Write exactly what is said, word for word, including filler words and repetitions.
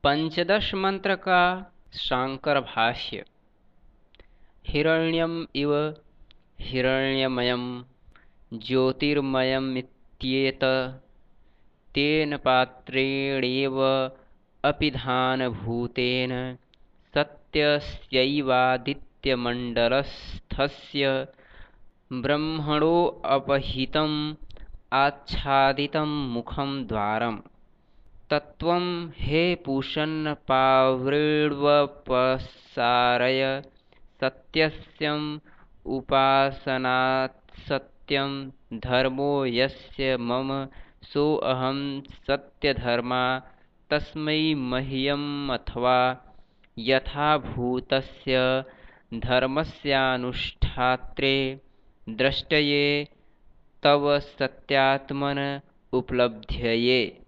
पंचदश मंत्र का शांकर भाष्य। हिरण्यम इव हिरण्यमयं ज्योतिर्मयमित्येतत् तेन पात्रेणैव अपिधानभूतेन सत्यस्यैवादित्यमण्डलस्थस्य ब्रह्मणोऽपहितम् आच्छादितं मुखं द्वारम्। तत्त्वं हे पूषन्न पावृण्वपसारय सत्यस्यम् उपासनात्सत्यं धर्मो यस्य मम सोऽहं सत्यधर्मा तस्मै मह्यमथवा यथाभूतस्य धर्मस्यानुष्ठात्रे द्रष्टये तव सत्यात्मन उपलब्धये।